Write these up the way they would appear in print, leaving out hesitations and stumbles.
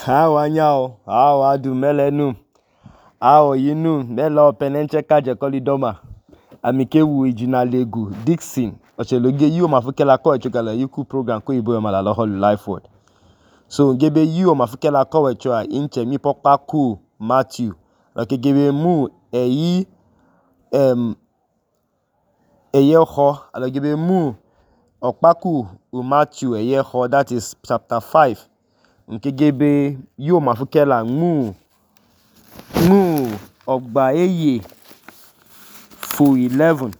Awanyao, awadu melenu, awoyinu, mela openenche kaje kolidoma. Amikewu ijinalegu, Dixon, ocheloge yu mafukela ko echokala yuku program ko ibo yomala loholu life word. So ngebe yu mafukela ko echoa inche mi pokpa ku Matthew. Lokegebe mu eyeho, alogebe mu okpaku Matthew eyeho, that is chapter 5. Nkegebe yu mafukela mu ogba eye fu 11.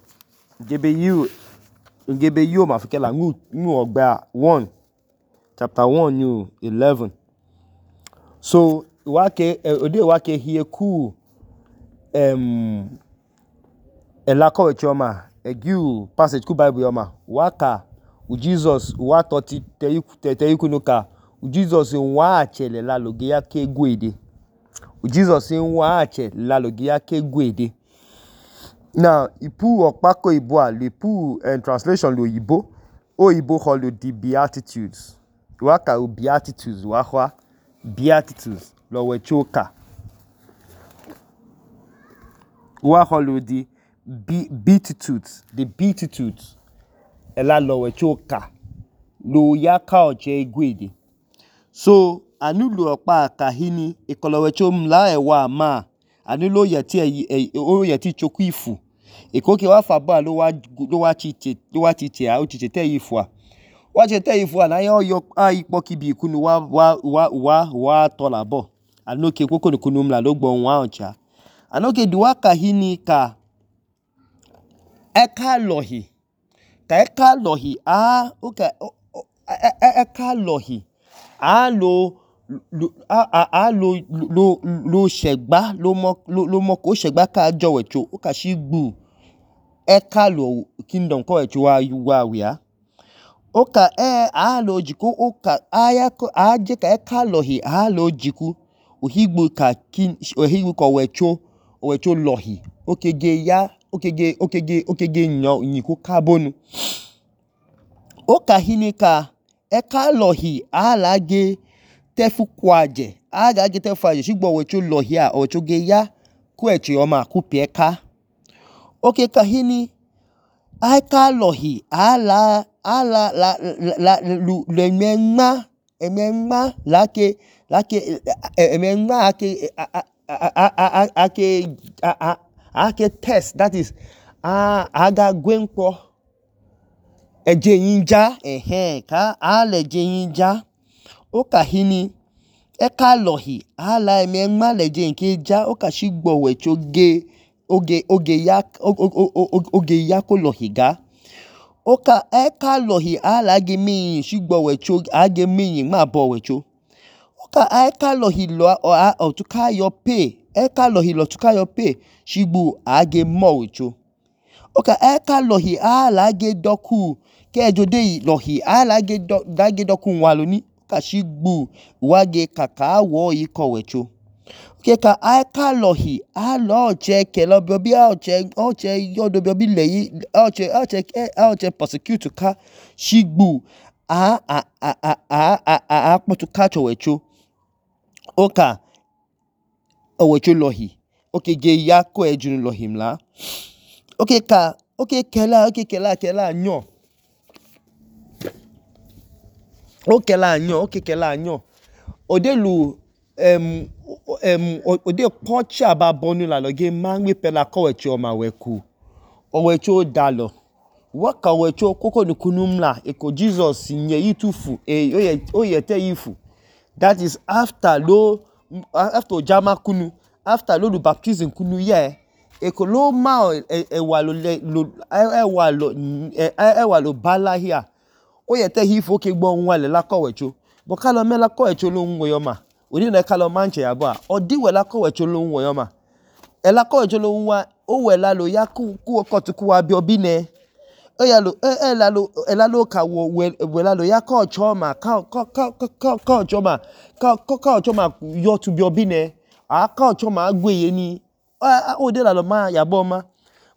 Ngebe yu mafukela mu ogba 1. Chapter 1 new 11. So ode wake hie ku elako wechoma egiu passage ku Bible yoma waka u Jesus wa toti teyikunuka u Jesus wa achele la loge yake gwede. U Jesus wa achele la loge yake gwede. Now ipu okpako ibo a lipu translation lo yibo o yibo holo the Beatitudes. Waka u Beatitudes wahwa Beatitudes lo wechoka. Waholo the Beatitudes, the Beatitudes ela lo wechoka lo yaka oche gwede. So anulu okpa kahini ekolo wecho mla ewa ma anulo yeti choku ifu ekoke wa faba lo wa chiche a uchiche te ifu a wa chete ifu a na yo ipo kibi kunu wa tolabo anoke koko kunu mla lo gbon wa ocha anoke duwa kahini ka eka lohi a lo shegba lo mo ko shegba ka jowecho o ka shigbu eka lo kingdom ko wecho wa wia o ka a lo jiku o ka aya ko aje ka eka lohi a lo jiku ohigbu ko wecho lohi okege nyiku kabonu o ka hini ka eka lohi alage tefu kwaje agage tefu aje shigbo wecho lohi a ocho ge ya ku eche yoma ku pieka oke ka hini eka lohi ala emenma lake emenma ake test, that is aga gwenpo eje yinja ka ale je yinja o ka hini eka lohi ala emenma leje nke ja o ka shigbo wecho oge ya ko lohi ga o ka eka lohi ala ge mi shigbo wecho age mi ma bo wecho o ka eka lohi lo otuka yo pay eka lohi lo tuka yo pay shigbu age mo wecho o ka eka lohi ala ge doku ke ejode lohi ala ge doku nwaloni ka shigbu wage kaka wo iko wecho ke ka eka lohi ala oche kelo biobi oche yodo biobi leyi oche prosecute ka shigbu potu ka chowecho o ka owecho lohi oke ge ya ko ejun lohi mla oke kela nyo odelu ode pocha ba bonu la loge mangwe pela ko wecho ma weku owecho dalo waka wecho koko nukunu mla eko Jesus nye itufu oyete ifu, that is after ojama kunu after lo baptism kunu ye eko lo ma ewa lo bala here oyete ifu oke gbo nwale la ko wecho bo kalo me la ko wecho lo nwo yoma oni na kalo manche ya ba odiwe la ko wecho lo nwo yoma ela ko wecho lo nwa o wela lo ya ku okotuku wa bi obine ela lo ka wela lo ya ko choma ka choma yo tu bi obine ka choma agweye ni o de la lo ma ya bo ma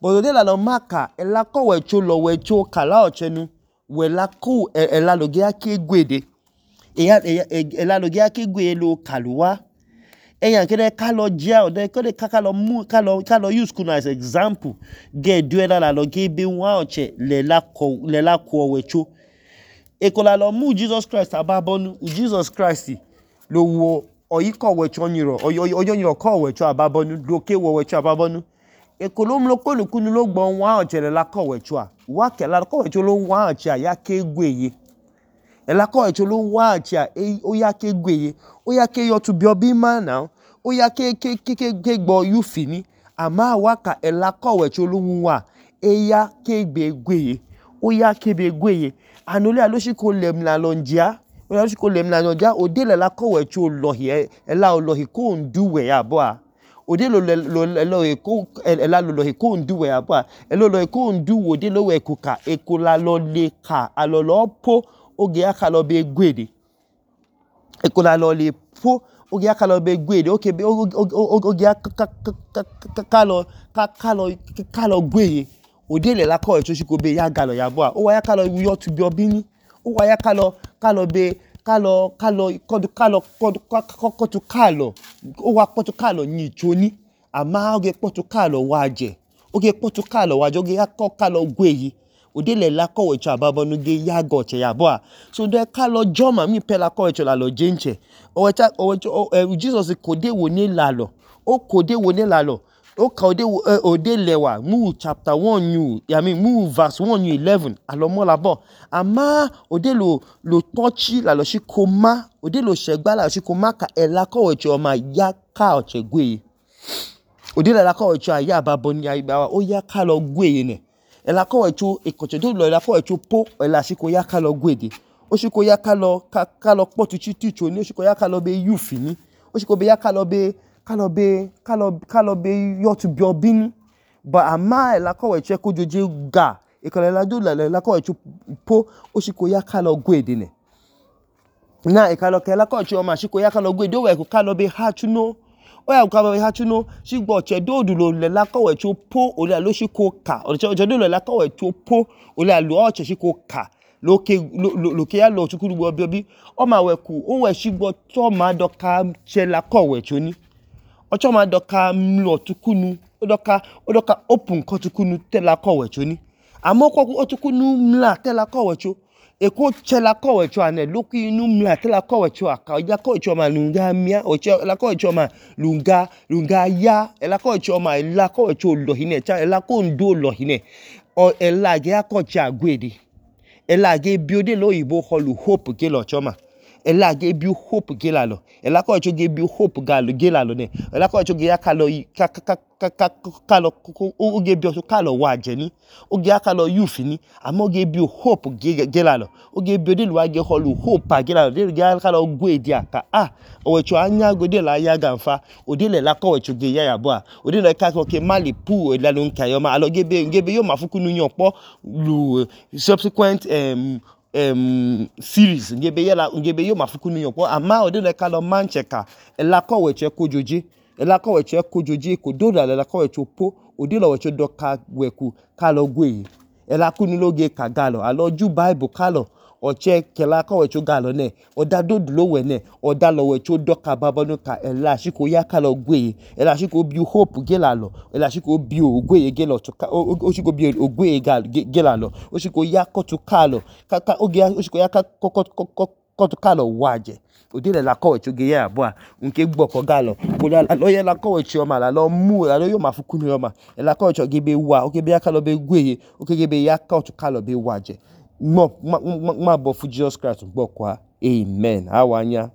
bo de la lo ma ka ela ko wecho lo wecho kala ochenu wela ku ela lo ge ake gwede Ela logia ke gwe lo kaluwa. Eyan kede kalo jia ode kede kalo use kuno as example. Ge duela la lo ge be wa oche le la ko wecho. Ekola lo mu Jesus Christ ababonu. Jesus Christ lo wo oyiko wecho nyiro. Oyonyiro ko wecho ababonu. Lo ke wo wecho ababonu. Ekolom lo kolu kunu lo gbon wa oche le la ko wecho a. Wa ke la ko wecho lo wa oche a ya ke gweye. Ela ko wecho lo wa oche a o ya ke gweye. O ya ke yo to bi obi ma now. O ya ke gbo yu fini. Ama waka ela ko wecho lo wa. E ya ke be gweye. O ya ke be gweye. Anole aloshi ko lem la lonjia. O aloshi ko lem la lonjia. O de le la ko wecho lohi. Ela o lohi ko nduwe ya boa. O de lo lohi ko ela lo lohi ko nduwe ya boa. Elo lohi ko ndu o de lo we kuka. Ekola lo le ka. Alo lo po. Oge aka lo be gwede. Ekola lo le po. Oge aka lo be gwede. Oge aka lo gweye. O de le la ko wecho shiko be ya galo ya boa. O wa ya ka lo yo to bi obini. O wa ya ka lo be o wa potu kalo ni choni. Ama oge potu kalo waje. Oge potu kalo waje. Oge ya kalo gweye. O de le la ko wecho ababonu ge ya goche ya boa. So de kalo joma mi pe la ko wecho la lo jenche. Jesus kode wo ne la lo. O kode wo ne la lo. O kode lewa. Mu chapter 1 mu verse 1:11. Alo mo la bo. Ama o de lo touchi la lo shi koma. O de lo shegba la lo shi koma ka ela ko wecho ma ya ka oche gweye. O de le la ko wecho ya ababonu ya ibawa. O ya ka lo gweye ne. Ela ko wecho ekoche do lo ela ko wecho po ela shiko ya ka lo gwede. O shiko ya ka lo potu chiticho ni. O shiko ya ka lo be yufini. O shiko be ya ka lo be yo to bi obini. But ama ela ko wecho ko joje ga. Ekola ela do ela ko wecho po. O shiko ya ka lo gwede ne. Na ela ko wecho ma shiko ya ka lo gwede. O we ko ka lo be hachuno. O ya ka lo be hachuno. Shigbo che do lo ela ko wecho po. O le lo shiko ka. O che do lo ela ko wecho po. O le lo oche shiko ka. Lo ke ya lo chukuru bo obi. O ma we ku. O we shigbo to ma doka che la ko wecho ni. Ocho ma doka mlo tukunu. O doka open ko tukunu te la ko wecho ni. Amo ko otukunu mla te la ko wecho. Eko che la ko wecho ane. Loku inu mla te la ko wecho aka. Ya ko wecho ma lunga mia. Oche la ko wecho ma lunga ya. Ela ko wecho ma ela ko wecho lohine. Ela ko ndo lohine. O ela ge ako che agwede. Ela ge biode lo ibo holu hope ge lo choma. Ela ge bi hope ge la lo. Ela ko wecho ge bi hope ge la lo ne. Ela ko wecho ge ya ka lo o ge bi oso ka lo waje ni. O ge ya ka lo yufi ni. Ama o ge bi hope ge la lo. O ge biode lo ge holu hope ge la lo. De ge ya ka lo gwede aka. O wecho anya gode la ya ganfa. O de le la ko wecho ge ya boa. O de le ka ko ke mali pu la lo nka yo ma. Alo ge be yo mafukunu nyon po lu subsequent series ngebe yo mafukunu yopo ama ode le ka lo mancheka ela ko weche ko joji ko do la ela ko weche po ode lo weche do ka weku ka lo gwe ela kunu loge ka galo alo ju bible ka lo oche kela ko weche galo ne oda do lo we ne oda lo weche do ka babonu ka ela shiko ya ka lo gwe ela shiko bi hope ge la lo ela shiko bi ogwe ge lo to o shiko bi ogwe ge la lo o shiko ya ko to ka lo ka oge o shiko ya ka ko to ka lo waje o de le la ko weche ge ya boa nke gbo ko galo ko lo ye la ko weche o ma la lo mu la lo yo mafukunu yo ma ela ko weche ge be wa o ge be ya ka lo be gwe o ge be ya ka to ka lo be waje ma bo fu Jesus Christ gbo kwa amen awanya